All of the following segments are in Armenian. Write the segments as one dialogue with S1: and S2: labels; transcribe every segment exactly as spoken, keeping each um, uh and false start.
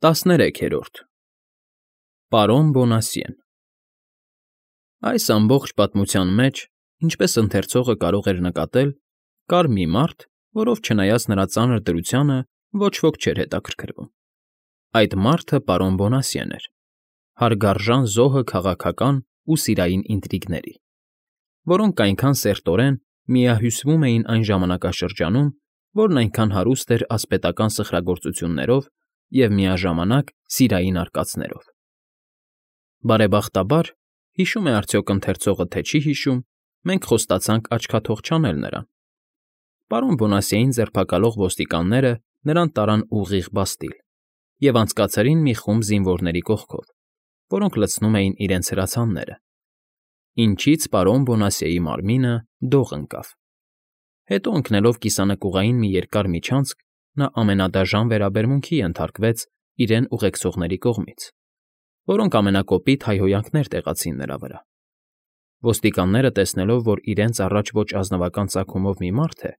S1: ՏԱՍՆԵՐEՔԵՐՈՐԴ Պարոն Բոնասյեն Այս ամբողջ պատմության մեջ, ինչպես ընթերցողը կարող էր նկատել, կար մի մարդ, որով, չնայած նրա ծանր դրությանը, ոչ ոք չէր հետաքրքրվում. այդ մարդը պարոն Բոնասյեն էր, հարգարժան զոհը քաղաքական ու սիրային ինտրիգների, որոնք այնքան սերտորեն միահյուսվում էին այն ժամանակաշրջանում, որն այնքան հարուստ էր ասպետական սխրագործություններով և միաժամանակ սիրային արկածներով։ Բարեբախտաբար, հիշում է արդյոք ընթերցողը, թե չի հիշում, մենք խոստացանք աչքաթող չանել նրան։ Պարոն Բոնասյեին ձերբակալող ոստիկանները նրան տարան ուղիղ Բաստիլ և անցկացրին մի խումբ զինվորների կողքով, որոնք լցնում էին իրենց հրացանները, ինչից պարոն Բոնասյեի մարմինը դող ընկավ։ Հետո ընկնելով կիսանկյունային մի երկար միջանցք, նա ամենադաժան վերաբերմունքի ենթարկվեց իրեն ուղեկցողների կողմից, որոնք ամենակոպիտ հայհոյանքներ տեղացին նրա վրա։ Ոստիկանները, տեսնելով, որ իրենց առաջ ոչ ազնվական ծագումով մի մարդ է,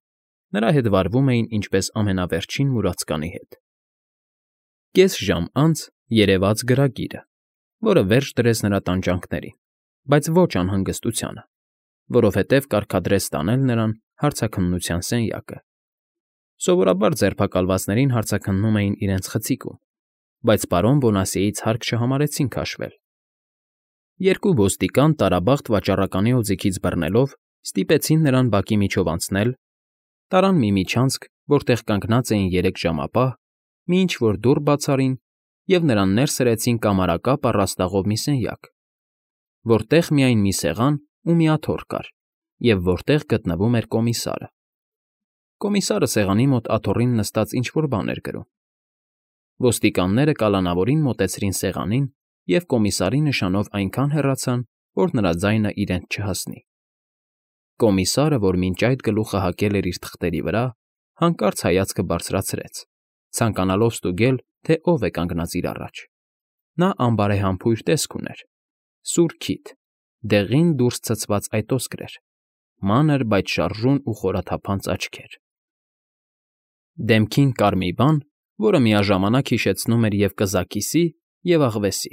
S1: նրա հետ վարվում էին ինչպես ամենավերջին մուրացկանի հետ։ Կես ժամ անց երևաց գրագիրը, որը վերջ դրեց նրա տանջանքներին, բայց ոչ անհանգստությանը, որովհետև կարգադրեց տանել նրան հարցաքննության սենյակը։ Սովորաբար ձերբակալվածներին հարցաքննում էին իրենց խցիկում, բայց պարոն Բոնասյեից հարկ չհամարեցին քաշվել։ Երկու ոստիկան տարաբախտ վաճառականի օձիքից բռնելով ստիպեցին նրան բակի միջով անցնել, տարան մի միջանցք, որտեղ կանգնած էին երեք ժամապահ, մի ինչ֊որ դուռ բաց արին և նրան ներս հրեցին կամարակապ առաստաղով մի սենյակ, որտեղ միայն մի սեղան ու մի աթոռ կար և որտեղ գտնվում էր կոմիսարը։ Կոմիսարը սեղանի մոտ աթոռին նստած ինչ֊որ բան էր գրում։ Ոստիկանները կալանավորին մոտեցրին սեղանին և կոմիսարի նշանով այնքան հեռացան, որ նրա ձայնը իրենց չհասնի։ Կոմիսարը, որ մինչ այդ գլուխը հագել էր իր թղթերի վրա, հանկարծ հայացքը բարձրացրեց, ցանկանալով ստուգել, թե ով է կանգնած իր առաջ։ Նա անբարեհամբույր տեսք ուներ, սուր քիթ, դեղին դուրս ցցված այտոսկր էր, մանր, բայց շարժուն ու խորաթափանց աչքեր։ Դեմքին կար մի բան, որը միաժամանակ հիշեցնում էր և կզաքիսի, և աղվեսի։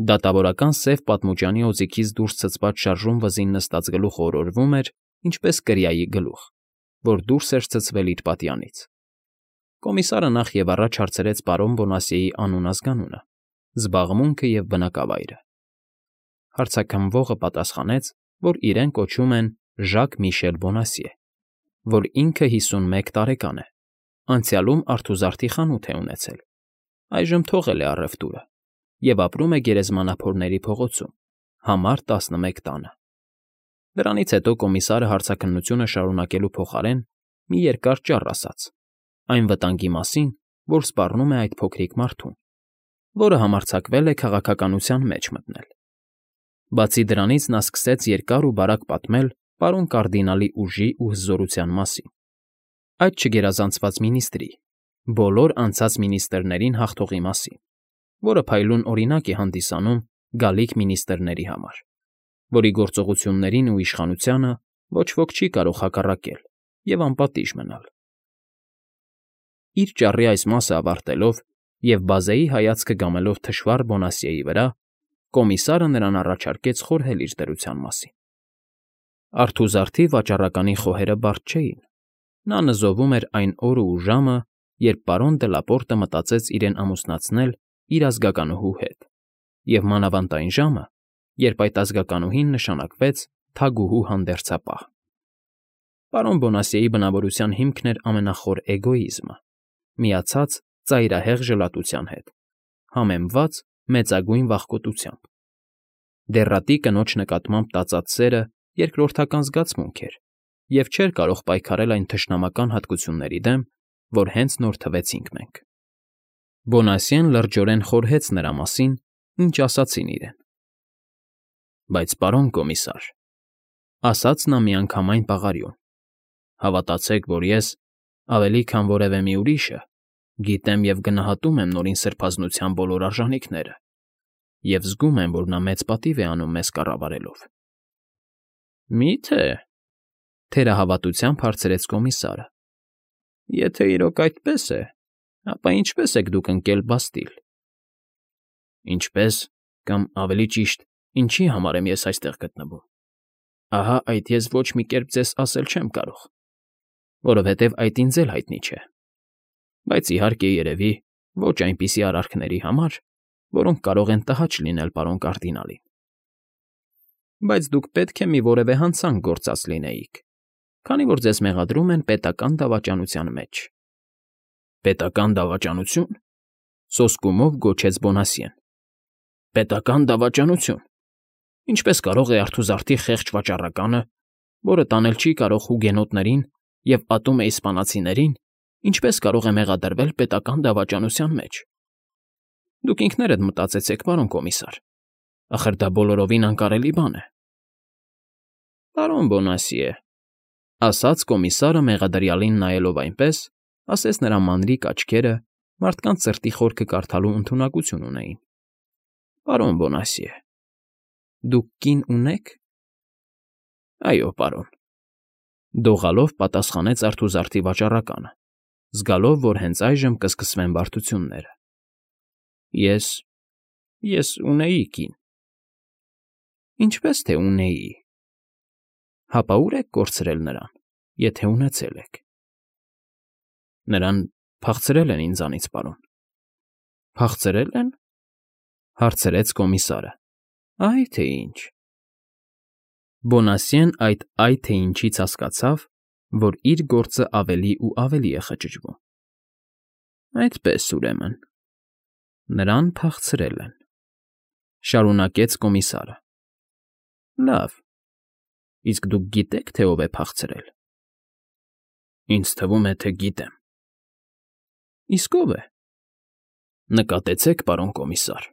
S1: Դատավորական սև պատմուճանի օձիքից դուրս ցցված շարժուն վզին նստած գլուխը օրորվում էր, ինչպես կրիայի գլուխ, որ դուրս էր ցցվել իր պատյանից։ Կոմիսարը նախ և առաջ հարցրեց պարոն Բոնասյեի անուն֊ազգանունը, զբաղմունքը և բնակավայրը։ Հարցաքննվողը պատասխանեց, որ իրեն կոչում են Ժակ֊Միշել Բոնասյե, որ ինքը հիսունմեկ տարեկան է, անցյալում արթուզարդի խանութ է ունեցել, այժմ թողել է առևտուրը և ապրում է Գերեզմանափորների փողոցում, համար տասնմեկ տանը։ Դրանից հետո կոմիսարը հարցաքննությունը շարունակելու փոխարեն մի երկար ճառ ասաց այն վտանգի մասին, որ սպառնում է այդ փոքրիկ մարդուն, որը համարձակվել է քաղաքականության մեջ մտնել։ Բացի դրանից նա սկսեց երկար ու բարակ պատմել պարոն կարդինալի ուժի ու հզորության մասին, այդ չգերազանցված մինիստրի, բոլոր անցած մինիստրներին հաղթողի մասին, որը փայլուն օրինակ է հանդիսանում գալիք մինիստրների համար, որի գործողություններին ու իշխանությանը ոչ ոք չի կարող հակառակել և անպատիժ մնալ։ Իր ճառի այս մասը ավարտելով և բազեի հայացքը գամելով թշվառ Բոնասյեի վրա, կոմիսարը նրան առաջարկեց խորհել իր դրության մասին։ Արթուզարդի վաճառականի խոհերը բարդ չէին։ Նա նզովում էր այն օրը ու ժամը, երբ պարոն Դելապորտը մտածեց իրեն ամուսնացնել իր ազգականուհու հետ, և մանավանդ այն ժամը, երբ այդ ազգականուհին նշանակվեց թագուհու հանդերձապահ։ Պարոն Բոնասյեի բնավորության հիմքն էր ամենախոր էգոիզմը, միացած ծայրահեղ ժլատության հետ, համեմված մեծագույն վախկոտությամբ։ Դեռատի կնոջ նկատմամբ տածած սերը երկրորդական զգացմունք էր և չէր կարող պայքարել այն թշնամական հատկությունների դեմ, որ հենց նոր թվեցինք մենք։ Բոնասյեն լրջորեն խորհեց նրա մասին, ինչ ասացին իրեն։ Բայց, պարոն կոմիսար, ասաց նա միանգամայն պաղարիոն, հավատացեք, որ ես, ավելի քան որևէ մի ուրիշը, գիտեմ և գնահատում եմ Նորին Սրբազնության բոլոր արժանիքները և զգում եմ, որ նա մեծ պատիվ է անում մեզ կառավարելով։ Մի՞թե,֊ թերահավատությամբ հարցրեց կոմիսարը։ Եթե իրոք այդպես է, Ապա ինչպե՞ս եք դուք ընկել Բաստիլ։ Ինչպե՞ս, կամ ավելի ճիշտ, ինչի համար եմ ես այստեղ գտնվում։ Ահա այդ ես ոչ մի կերպ ձեզ ասել չեմ կարող, որովհետև այդ ինձ էլ հայտնի չէ, բայց իհարկե երևի ոչ այնպիսի արարքների համար, որոնք կարող են տհաճ լինել պարոն կարդինալին։ Բայց դուք պետք է մի որևէ հանցանք գործած լինեիք, քանի որ ձեզ մեղադրում են պետական դավաճանության մեջ։ Պետական դավաճանությո՞ւն,֊ սոսկումով գոչեց Բոնասյեն։ Պետական դավաճանություն… Ինչպես կարող է արթուզարդի խեղճ վաճառականը, որը տանել չի կարող հուգենոտներին և ատում է իսպանացիներին, ինչպես կարող է մեղադրվել պետական դավաճանության մեջ։ Դուք ինքներդ մտածեցեք, պարոն կոմիսար, ախր դա բոլորովին անկարելի բան է։ Պարոն Բոնասիե…֊ ասաց կոմիսարը մեղադրյալին նայելով այնպես, ասես նրա մանրիկ աչքերը մարդկանց սրտի խորքը կարդալու ընդունակություն ունեին։ Պարոն Բոնասիե… Դուք կին ունե՞ք։ Այո, պարոն,֊ դողալով պատասխանեց արթուզարդի վաճառականը, զգալով, որ հենց այժմ կսկսվեն բարդությունները։ Ես… ես ունեի կին։ Ինչպե՞ս թե ունեի։ Հապա ո՞ւր եք կորցրել նրան, եթե ունեցել եք։ Նրան փախցրել են ինձանից, պարոն։ Փախցրե՞լ են,֊ հարցրեց կոմիսարը։ Այ թե ինչ։ Բոնասյեն այդ «այ թե ինչ»֊ից հասկացավ, որ իր գործը ավելի ու ավելի է խճճվում։ Այդպես, ուրեմն, նրան փախցրել են,֊ շարունակեց կոմիսարը։ Լավ, իսկ դուք գիտե՞ք, թե ով է փախցրել։ Ինձ թվում է, թե գիտեմ։ Իսկ ո՞վ է։ Նկատեցեք, պարոն կոմիսար,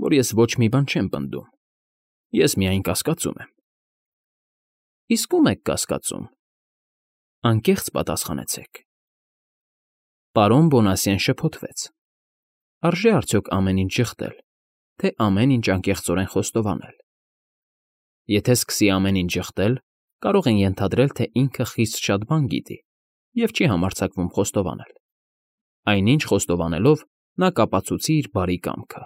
S1: որ ես ոչ մի բան չեմ պնդում, ես միայն կասկածում եմ։ Իսկ ո՞ւմ եք կասկածում։ Անկեղծ պատասխանեցեք։ Պարոն Բոնասյեն շփոթվեց։ Արժե՞ արդյոք ամեն ինչ ժխտել, թե ամեն ինչ անկեղծորեն խոստովանել։ Եթե սկսի ամեն ինչ ժխտել, կարող են ենթադրել, թե ինքը խիստ շատ բան գիտի և չի համարձակվում խոստովանել։ Այնինչ խոստովանելով նա կապացուցի իր բարի կամքը,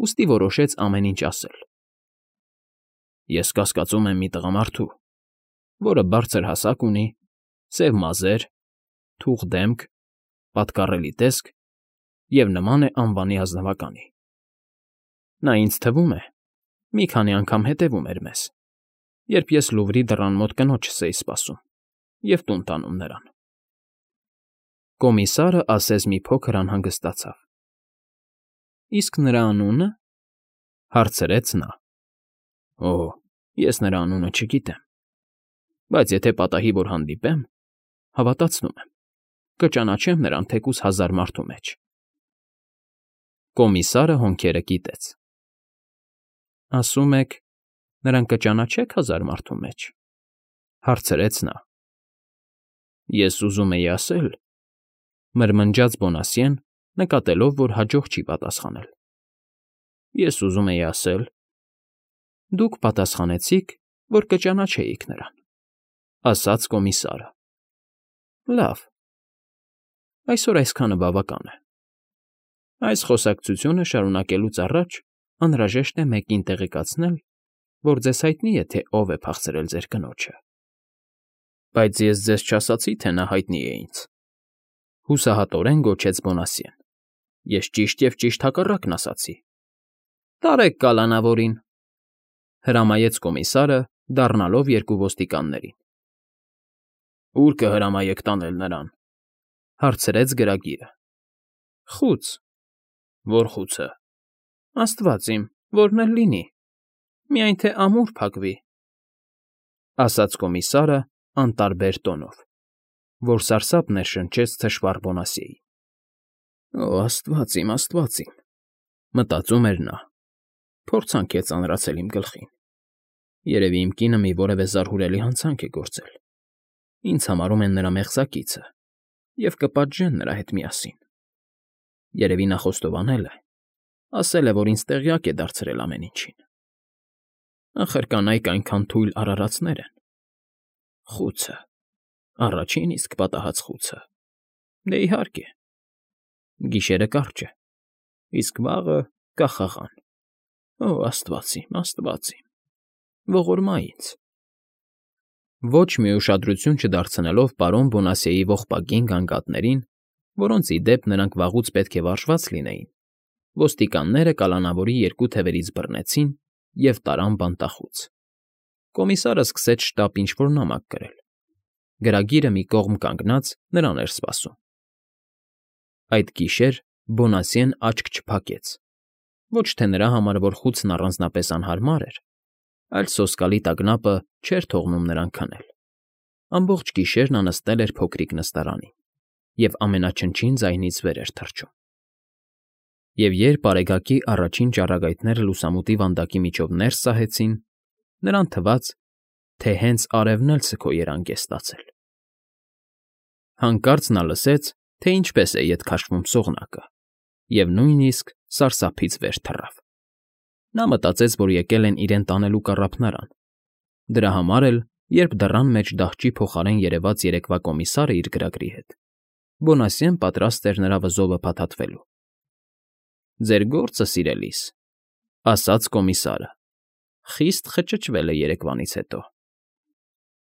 S1: ուստի որոշեց ամեն ինչ ասել։ Ես կասկածում եմ մի տղամարդու, որը բարձր հասակ ունի, սև մազեր, թուխ դեմք, պատկառելի տեսք և նման է անվանի ազնվականի։ Նա ինձ թվում է, մի քանի անգամ հետևում էր մեզ, երբ ես Լուվրի դռան մոտ կնոջս էի սպասում և տուն տանում նրան։ Կոմիսարը ասես մի փոքր անհանգստացավ։ Իսկ նրա անունը,֊ հարցրեց նա։ Օ՜, ես նրա անունը չգիտեմ, բայց եթե պատահի, որ հանդիպեմ, հավատացնում եմ, կճանաչեմ նրան թեկուզ հազար մարդու մեջ։ Կոմիսարը հոնքերը կիտեց։ Ասում եք, նրան կճանաչե՞ք հազար մարդու մեջ,֊ հարցրեց նա։ Ես ուզում էի ասել,֊ մրմնջաց Բոնասյեն, նկատելով, որ հաջող չի պատասխանել։ Ես ուզում էի ասել… Դուք պատասխանեցիք, որ կճանաչեիք նրան,֊ ասաց կոմիսարը։ Լավ, այսօր այսքանը բավական է։ Այս խոսակցությունը շարունակելուց առաջ անհրաժեշտ է մեկին տեղեկացնել, որ ձեզ հայտնի է, թե ով է փախցրել ձեր կնոջը։ Բայց ես ձեզ չասացի, թե նա հայտնի է ինձ,֊ հուսահատորեն գոչեց Բոնասյեն։ Ես ճիշտ և ճիշտ հակառակն ասացի։ Տարեք կալանավորին,֊ հրամայեց կոմիսարը, դառնալով երկու ոստիկաններին։ Ո՞ւր կհրամայեք տանել նրան,֊ հարցրեց գրագիրը։ Խուց։ Ո՞ր խուցը։ Աստված իմ, որն էլ լինի, միայն թե ամուր փակվի,֊ ասաց կոմիսարը անտարբեր տոնով, որ սարսափ ներշնչեց թշվառ Բոնասիեին։ Օ աստված իմ, աստված իմ,֊ մտածում էր նա, փորձանք է ծանրացել իմ գլխին։ Երևի իմ կինը մի որևէ զարհուրելի հանցանք է գործել։ Ինձ համարում են նրա մեղսակիցը և կպատժեն նրա հետ միասին։ Երևի նա խոստովանել է, ասել է, որ ինձ տեղյակ է դարձրել ամեն ինչին։ Ախր կանայք այնքան թույլ արարածներ են։ Խուցը… առաջին իսկ պատահած խուցը… Դե, իհարկե, Գիշերը կարճ է, իսկ վաղը կախաղան։ Օ, աստված իմ, աստված իմ, ողորմա ինձ… Ոչ մի ուշադրություն չդարձնելով պարոն Բոնասիեի ողբագին գանգատներին, որոնց ի դեպ նրանք վաղուց պետք է վարժված լինեին, ոստիկանները կալանավորի երկու թևերից բռնեցին և տարան բանտախուց։ Կոմիսարը սկսեց շտապ ինչ֊որ նամակ գրել։ Գրագիրը մի կողմ կանգնած նրան էր սպասում։ Այդ գիշեր Բոնասիեն աչք չփակեց, ոչ թե նրա համար, որ խուցն առանձնապես անհարմար էր, այլ սոսկալի տագնապը չէր թողնում նրան քնել։ Ամբողջ գիշեր նա նստել էր փոքրիկ նստարանին և ամենաչնչին ձայնից վեր էր թռչում։ Եվ երբ արեգակի առաջին ճառագայթները լուսամուտի վանդակի միջով ներս սահեցին, նրան թվաց, թե հենց արևն էլ սգո երանգ է ստացել։ Հանկարծ նա լսեց, թե ինչպես է ետ քաշվում սողնակը, և նույնիսկ սարսափից վեր թռավ։ Նա մտածեց, որ եկել են իրեն տանելու կառափնարան։ Դրա համար էլ, երբ դռան մեջ դահճի փոխարեն երևաց երեկվա կոմիսարը իր գրագրի հետ, Բոնասիեն պատրաստ էր նրա վզովը փաթաթվելու։ ֊ Ձեր գործը, սիրելիս,֊ ասաց կոմիսարը, խիստ խճճվել է երեկվանից հետո,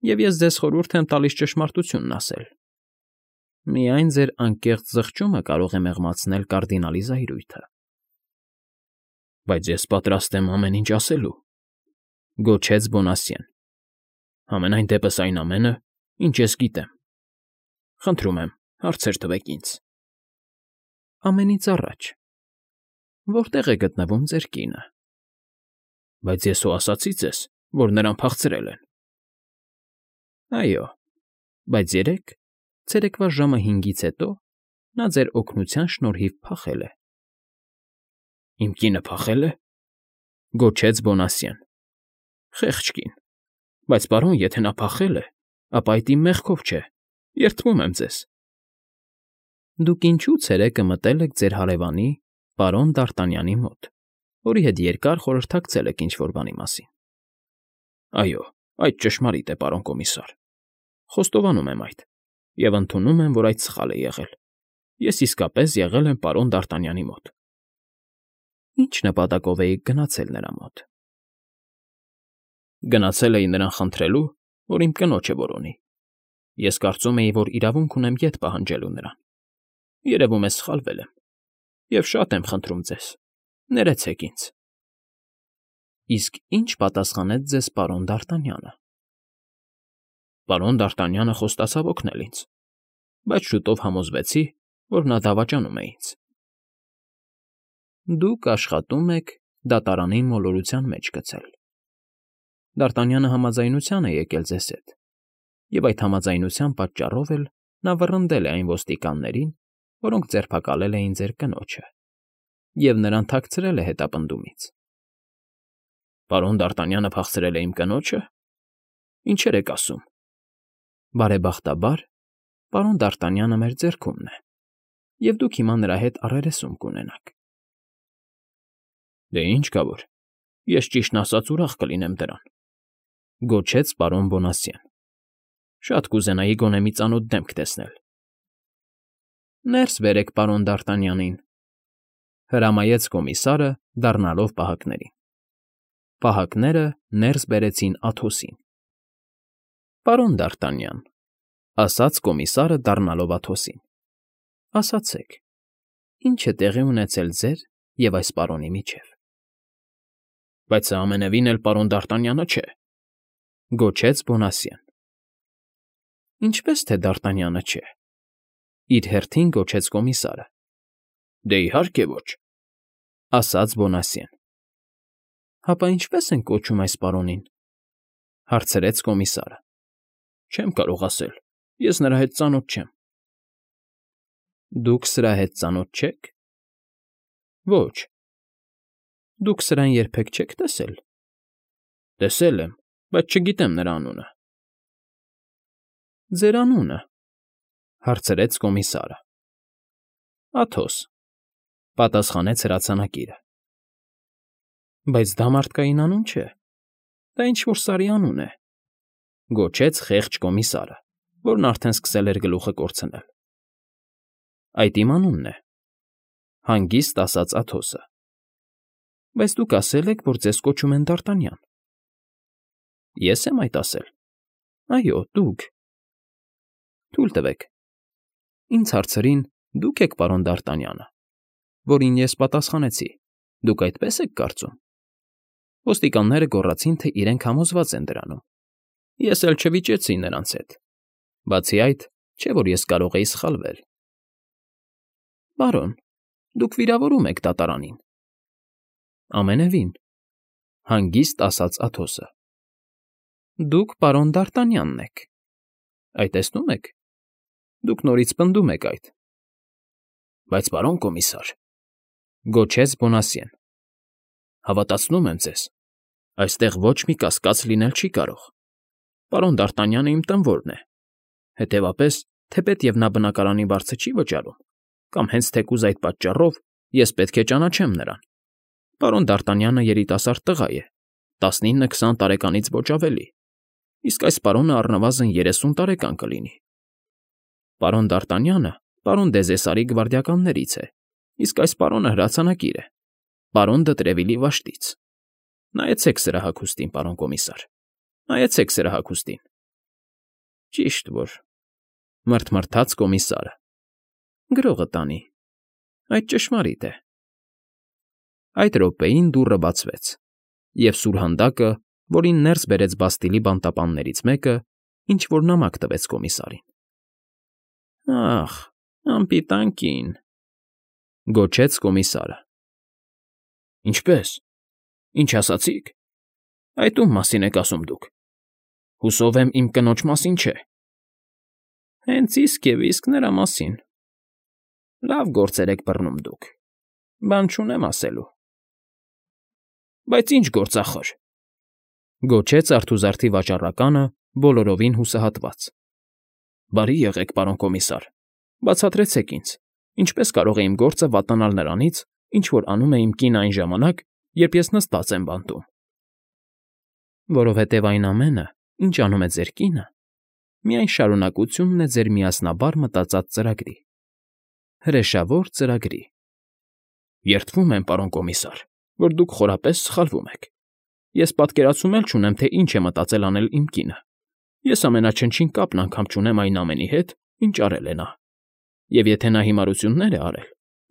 S1: և ես ձեզ խորհուրդ եմ տալիս ճշմարտությունն ասել. միայն ձեր անկեղծ զղջումը կարող է մեղմացնել կարդինալի զայրույթը։ ֊ Բայց ես պատրաստ եմ ամեն ինչ ասելու,֊ գոչեց Բոնասիեն,֊ համենայն դեպս այն ամենը, ինչ ես գիտեմ։ Խնդրում եմ, հարցեր տվեք ինձ։ ֊ Ամենից առաջ, որտե՞ղ է գտնվում ձեր կինը։ ֊ Բայց ես հո ասացի ձեզ, որ նրան փախցրել են։ ֊ Այո, բայց երեկ, ցերեկվա ժամը հինգից հետո նա ձեր օգնության շնորհիվ փախել է։ ֊ Իմ կինը փախե՞լ է,֊ գոչեց Բոնասիեն։ ֊ Խեղճ կին, բայց, պարոն, եթե նա փախել է, ապա այդ իմ մեղքով չէ, երդվում եմ ձեզ։ ֊ Դուք ինչո՞ւ ցերեկը մտել եք ձեր հարևանի, պարոն Դ'Արտանյանի մոտ, որի հետ երկար խորհրդակցել եք ինչ֊որ բանի մասին։ ֊ Այո, այդ ճշմարիտ է, պարոն կոմիսար, խոստովանում եմ այդ և ընդունում եմ, որ այդ սխալ է եղել. ես իսկապես եղել եմ պարոն Դ'Արտանյանի մոտ։ ֊ Ի՞նչ նպատակով էիք գնացել նրա մոտ։ ֊ Գնացել էի նրան խնդրելու, որ իմ կնոջը որոնի։ Ես կարծում էի, որ իրավունք ունեմ ետ պահանջելու նրան։ Երևում է սխալվել եմ, և շատ եմ խնդրում ձեզ, ներեցեք ինձ։ ֊ Իսկ ի՞նչ պատասխանեց ձեզ պարոն Դ'Արտանյանը։ ֊ Պարոն Դ'Արտանյանը խոստացավ օգնել ինձ, բայց շուտով համոզվեցի, որ նա դավաճանում է ինձ։ ֊ Դուք աշխատում եք դատարանին մոլորության մեջ գցել։ Դ'Արտանյանը համաձայնության է եկել ձեզ հետ, և այդ համաձայնության պատճառով էլ նա վռնդել է այն ոստիկաններին, որոնք ձերբակալել էին ձեր կնոջը, և նրան թաքցրել է հետապնդումից։ ֊ Պարոն Դ'Արտանյանը փախցրել է իմ կնոջը։ Ինչեր եք ասում։ ֊ Բարեբախտաբար, պարոն Դ'Արտանյանը մեր ձեռքումն է, և դուք հիմա նրա հետ առերեսում կունենաք։ ֊ Դե ինչ կա որ, ես ճիշտն ասած ուրախ կլինեմ դրան,֊ գոչեց պարոն Բոնասիեն։ Շատ կուզենայի գոնե մի ծանոթ դեմք տեսնել։ ֊ Ներս բերեք պարոն Դ'Արտանյանին,֊ հրամայեց կոմիսարը, դառնալով պահակներին։ Պահակները ներս բերեցին Աթոսին։ ֊ Պարոն Դ'Արտանյան,֊ ասաց կոմիսարը, դառնալով Աթոսին,֊ ասացեք, ի՞նչ է տեղի ունեցել ձեր և այս պարոնի միջև։ ֊ Բայց սա ամենևին էլ պարոն Դ'Արտանյանը չէ,֊ գոչեց Բոնասիեն։ ֊ Ինչպե՞ս թե Դ'Արտանյանը չէ,֊ իր հերթին գոչեց կոմիսարը։ ֊ Դե, իհարկե, ոչ,֊ ասաց Բոնասիեն։ ֊ Հապա ինչպե՞ս են կոչում այս պարոնին,֊ հարցրեց կոմիսարը։ ֊ Չեմ կարող ասել, ես նրա հետ ծանոթ չեմ։ ֊ Դուք սրա հետ ծանոթ չե՞ք։ ֊ Ոչ։ ֊ Դուք սրան երբեք չե՞ք տեսել։ ֊ Տեսել եմ, բայց չգիտեմ նրա անունը։ ֊ Ձեր անունը,֊ հարցրեց կոմիսարը։ ֊ Աթոս,֊ պատասխանեց հրացանակիրը։ ֊ Բայց դա մարդկային անուն չէ, դա ինչ֊որ սարի անուն է,֊ գոչեց խեղճ կոմիսարը, որն արդեն սկսել էր գլուխը կորցնել։ ֊ Այդ իմ անունն է, Հանգիստ ասաց Աթոսը։ Բայց դուք ասել եք, որ ձեզ կոչում են Դարտանյան։ Ես եմ այդ ասել։ Այո, դուք։ Թույլ տվեք։ Ինձ հարցրին, դուք եք պարոն Դարտանյանը, որին ես պատասխանեցի։ Դուք այդպես եք կարծում։ Ոստիկանները գոռացին, թե իրենք համոզված են դրանում։ Ես էլ չվիճեցի նրանց հետ։ Բացի այդ, չէ՞ որ ես կարող էի սխալվել։ Պարոն, դուք վիրավորում եք դատարանին։ Ամենևին, հանգիստ ասաց Աթոսը։ Դուք պարոն Դարտանյանն եք։ Այդ տեսնում եք։ Դուք նորից պնդում եք այդ։ Բայց պարոն կոմիսար, գոչեց Բոնասյեն, հավատացնում եմ ձեզ, այստեղ ոչ մի կասկած լինել չի կարող։ Պարոն Դարտանյանը իմ տնօրն է։ Հետևաբար, թեպետև նա բնակարանի վարձը չի վճարում, կամ հենց թեկուզ այդ պատճառով ես պետք է ճանաչեմ նրան։ Պարոն Դարտանյանը երիտասարդ տղա է, տասնինը֊քսան տարեկանից ոչ ավելի, իսկ այս պարոնը առնվազն երեսուն տարեկան կլինի։ Պարոն Դարտանյանը պարոն Դեզեսարի գվարդիականներից է, իսկ այս պարոնը հրացանակիր է, պարոն Դտրևիլի վաշտից։ Նայեցեք սրա հագուստին, պարոն կոմիսար, նայեցեք սրա հագուստին։ Ճիշտ որ, մռթմռթաց կոմիսարը։ Գրողը տանի, այդ ճշմարիտ է։ Այդ րոպեին դուռը բացվեց, և սուրհանդակը, որին ներս բերեց Բաստիլի բանտապաններից մեկը, ինչ֊որ նամակ տվեց կոմիսարին։ Ախ, անպիտան կին, գոչեց կոմիսարը։ Ինչպե՞ս, ինչ ասացիք։ Այդ ում մասին եք ասում դուք։ Հուսով եմ իմ կնոջ մասին չէ։ Հենց իսկ և իսկ նրա մասին։ Լավ գործեր եք բռնում դուք, բան չունեմ ասելու։ Բայց ինչ գործախոր, գոչեց արթուզարդի վաճառականը բոլորովին հուսահատված։ Բարի եղեք, պարոն կոմիսար, բացատրեցեք ինձ, ինչպես կարող է իմ գործը վատանալ նրանից, ինչ որ անում է իմ կինը այն ժամանակ, երբ ես նստած եմ բանտում։ Որովհետև այն ամենը, ինչ անում է ձեր կինը, միայն շարունակությունն է ձեր միասնաբար մտածած ծրագրի, հրեշավոր ծրագրի։ Երդվում եմ, պարոն կոմիսար, որ դուք խորապես սխալվում եք։ Ես պատկերացում էլ չունեմ, թե ինչ է մտածել անել իմ կինը։ Ես ամենաչնչին կապն անգամ չունեմ այն ամենի հետ, ինչ արել է նա։ Եվ եթե նա հիմարություններ է արել,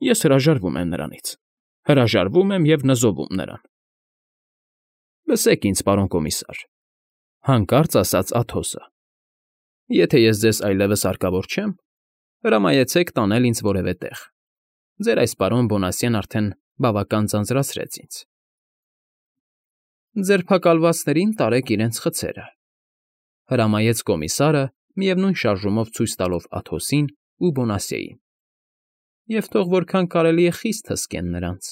S1: ես հրաժարվում եմ նրանից։ Հրաժարվում եմ և նզովում նրան։ Լսեք ինձ, պարոն կոմիսար, հանկարծ ասաց Աթոսը։ Եթե ես ձեզ այլևս հարկավոր չեմ, հրամայեցեք տանել ինձ որևէ տեղ։ Ձեր այս պարոն Բոնասյեն արդեն բավական ձանձրացրեց ինձ։ Ձերբակալվածներին տարեք իրենց խցերը, հրամայեց կոմիսարը, միևնույն շարժումով ցույց տալով Աթոսին ու Բոնասյեին։ Եվ թող որքան կարելի է խիստ հսկեն նրանց։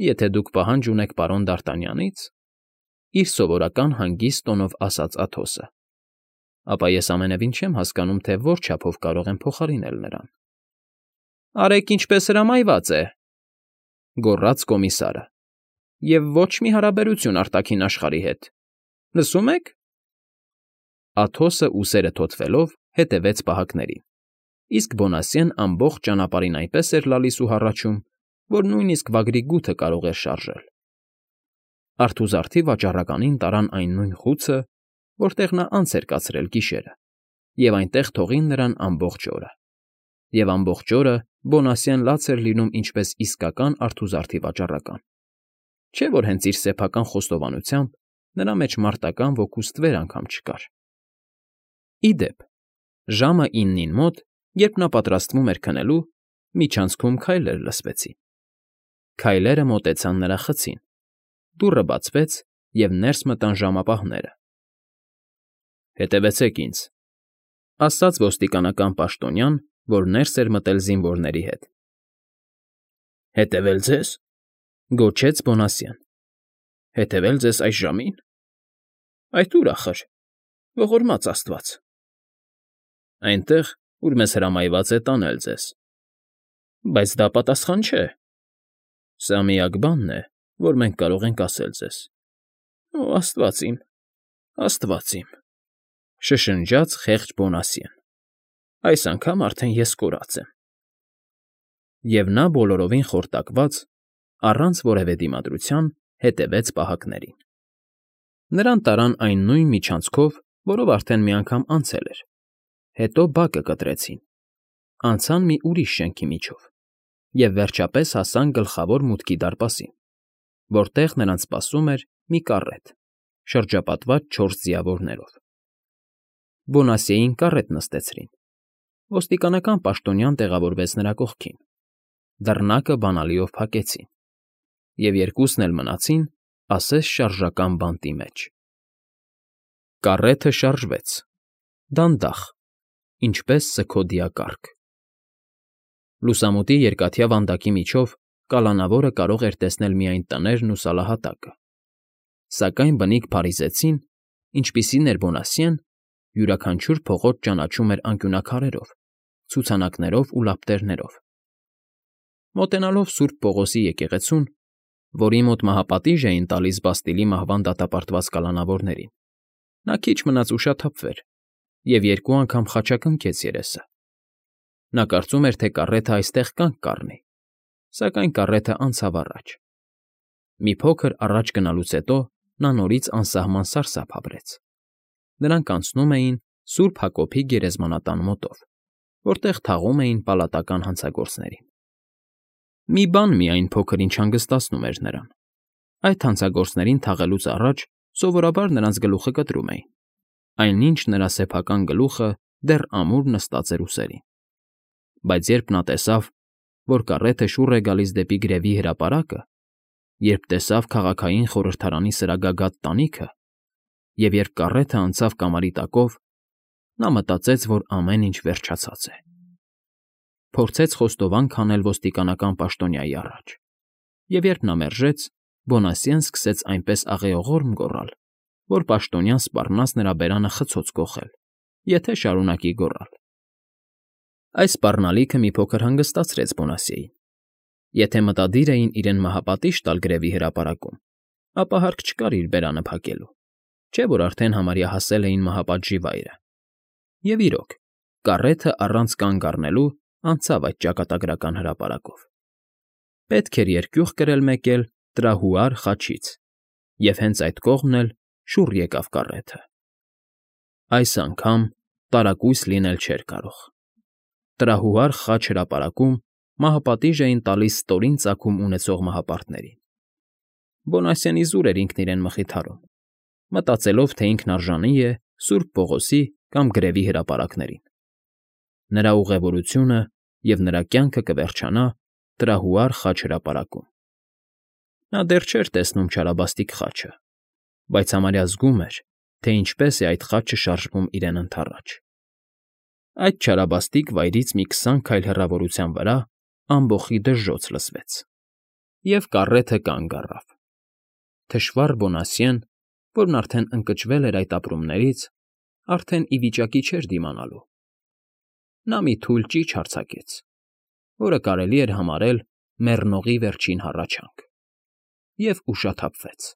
S1: Եթե դուք պահանջ ունեք պարոն Դարտանյանից, իր սովորական հանգիստ տոնով ասաց Աթոսը, ապա ես ամենևին չեմ հասկանում, թե որ չափով կարող եմ փոխարինել նրան։ Արեք ինչպես հրամայված է, գոռաց կոմիսարը, և ոչ մի հարաբերություն արտաքին աշխարհի հետ։ Լսում եք։ Աթոսը ուսերը թոթվելով հետևեց պահակներին, իսկ Բոնասյեն ամբողջ ճանապարհին այնպես էր լալիս ու հառաչում, որ նույնիսկ վագրի գութը կարող էր շարժել։ Արթուզարդի վաճառականին տարան այն նույն խուցը, որտեղ նա անց էր կացրել գիշերը, և այնտեղ թողին նրան ամբողջ օրը։ Եվ ամբողջ օրը Բոնասյեն լաց էր լինում ինչպես իսկական արթուզարդի վաճառական։ Չէ՞ որ հենց իր սեփական խոստովանությամբ նրա մեջ մարտական ոգու ստվեր անգամ չկար։ Ի դեպ, ժամը իննին մոտ, երբ նա պատրաստվում էր քնելու, միջանցքում քայլեր լսվեցին։ Քայլերը մոտեցան նրա խցին, դուռը բացվեց, և ներս մտան ժամապահները։ Հետևեցեք ինձ, ասաց ոստիկանական պաշտոնյան, որ ներս էր մտել զինվորների հետ։ Հետևել ձեզ, գոչեց Բոնասյեն։ Հետևել ձեզ այս ժամին։ Այդ ո՞ւր ախր, ողորմած աստված։ Այնտեղ, ուր մեզ հրամայված է տանել ձեզ։ Բայց դա պատասխան չէ։ Սա միակ բանն է, որ մենք կարող ենք ասել ձեզ։ Օ, աստված իմ, աստված իմ, շշնջաց խեղճ Բոնասյեն։ Այս անգամ արդեն ես կորած եմ։ Եվ նա բոլորովին խորտակված, առանց որևէ դիմադրության հետևեց պահակներին։ Նրան տարան այն նույն միջանցքով, որով արդեն մի անգամ անցել էր, հետո բակը կտրեցին, անցան մի ուրիշ շենքի միջով և վերջապես հասան գլխավոր մուտքի դարպասին, որտեղ նրանց սպասում էր մի կառետ, շրջապատված չորս ձիավորներով։ Բոնասիեին կառետ նստեցրին, ոստիկանական պաշտոնյան տեղավորվեց նրա կողքին, դռնակը բանալիով փակեցին, և երկուսն էլ մնացին ասես շարժական բանտի մեջ։ Կառեթը շարժվեց, դանդաղ, ինչպես սգոդիակառք։ Լուսամուտի երկաթյա վանդակի միջով կալանավորը կարող էր տեսնել միայն տներն ու սալահատակը, սակայն բնիկ փարիզեցին, ինչպիսին էր Բոնասիեն, յուրաքանչյուր փողոց ճանաչում էր անկյունաքարերով, ցուցանակներով ու լապտերներով։ Մոտենալով Սուրբ Պողոսի եկեղեցուն, որի մոտ մահապատիժ էին տալիս Բաստիլի մահվան դատապարտված կալանավորներին, նա քիչ մնաց ուշաթափվեր և երկու անգամ խաչակնքեց երեսը։ Նա կարծում էր, թե կառեթը այստեղ կանգ կառնի, սակայն կառեթը անցավ առաջ։ Մի փոքր առաջ գնալուց հետո նա նորից անսահման սարսափ ապրեց։ Նրանք անցնում էին Սուրբ Հակոբի գերեզմանատան մոտով, որտեղ թաղում էին պալատական հանցագործներին։ Մի բան միայն փոքր-ինչ հանգստացնում էր նրան. այդ հանցագործներին թաղելուց առաջ սովորաբար նրանց գլուխը կտրում էին, այնինչ նրա սեփական գլուխը դեռ ամուր նստած էր ուսերին։ Բայց երբ նա տեսավ, որ կառեթը շուռ է գալիս դեպի գրևի հրապարակը, երբ տեսավ քաղաքային խորհրդարանի սրագագաթ տանիքը, և երբ կառեթը անցավ կամարի տակով, նա մտածեց, որ ամեն ինչ վերջացած է։ Փորձեց խոստովանք անել ոստիկանական պաշտոնյայի առաջ, և երբ նա մերժեց, Բոնասիեն սկսեց այնպես աղեողորմ գոռալ, որ պաշտոնյան սպառնաց նրա բերանը խցոց կոխել, եթե շարունակի գոռալ։ Այս սպառնալիքը մի փոքր հանգստացրեց Բոնասիեին։ Եթե մտադիր էին իրեն մահապատիժ տալ գրևի հրապարակում, ապա հարկ չկար իր բերանը փակելու, չէ՞ որ արդեն համարյա հասել էին մահապատժի վայրը։ Եվ իրոք, կառեթը առանց կանգ առնելու անցավ այդ ճակատագրական հրապարակով։ Պետք էր երկյուղ կրել մեկ էլ տրահուար խաչից, և հենց այդ կողմն էլ շուռ եկավ կառեթը։ Այս անգամ տարակույս լինել չէր կարող։ Տրահուար խաչ հրապարակում մահապատիժ էին տալիս ստորին ծագում ունեցող մահապարտներին։ Բոնասիենի զուր էր ինքն իրեն մխիթարում, մտածելով, թե ինքն արժանի է Սուրբ Պողոսի կամ գրևի հրապարակներին։ Նրա ուղևորությունը և նրա կյանքը կվերջանա տրահուար խաչ հրապարակում։ Նա դեռ չէր տեսնում չարաբաստիկ խաչը, բայց համարյա զգում էր, թե ինչպես է այդ խաչը շարժվում իրեն ընդառաջ։ Այդ չարաբաստիկ վայրից մի քսան քայլ հեռավորության վրա ամբոխի դժժոց լսվեց, և կառեթը կանգ առավ։ Թշվառ Բոնասիեն, որն արդեն ընկճվել էր այդ ապրումներից, արդեն ի վիճակի չէր դիմանալու։ Նա մի թույլ ճիչ արձակեց, որը կարելի էր համարել մեռնողի վերջին հառաչանք, և ուշաթափվեց։